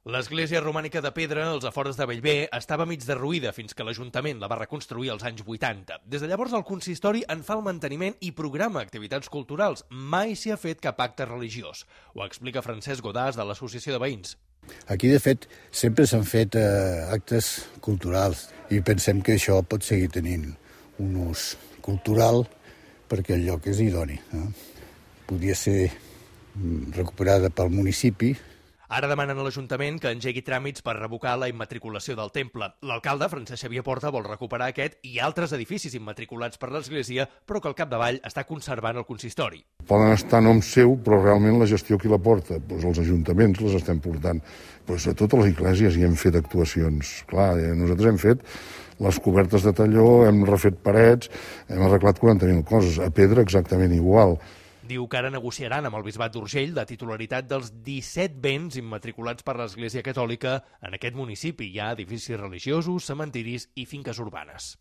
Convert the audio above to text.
L'església romànica de pedra, als afores de Bellver, estava mig derruïda fins que l'Ajuntament la va reconstruir als anys 80. Des de llavors el consistori en fa el manteniment i programa activitats culturals. Mai s'hi ha fet cap acte religiós. Ho explica Francesc Godàs de l'Associació de Veïns. Aquí, de fet, sempre s'han fet actes culturals i pensem que això pot seguir tenint un ús cultural perquè el lloc és idoni. Podria ser recuperada pel municipi. Ara demanen a l'Ajuntament que engegui tràmits per revocar la immatriculació del temple. L'alcalde, Francesc Xavier Porta, vol recuperar aquest i altres edificis immatriculats per l'Església, però que al capdavall està conservant el consistori. Poden estar a nom seu, però realment la gestió qui la porta? Doncs els ajuntaments les estem portant. Doncs a totes les esglésies hi hem fet actuacions. Clar, nosaltres hem fet les cobertes de talló, hem refet parets, hem arreglat 40.000 coses. A pedra exactament igual. Diu que ara negociaran amb el Bisbat d'Urgell la titularitat dels 17 béns immatriculats per l'Església Catòlica en aquest municipi. Hi ha edificis religiosos, cementiris i finques urbanes.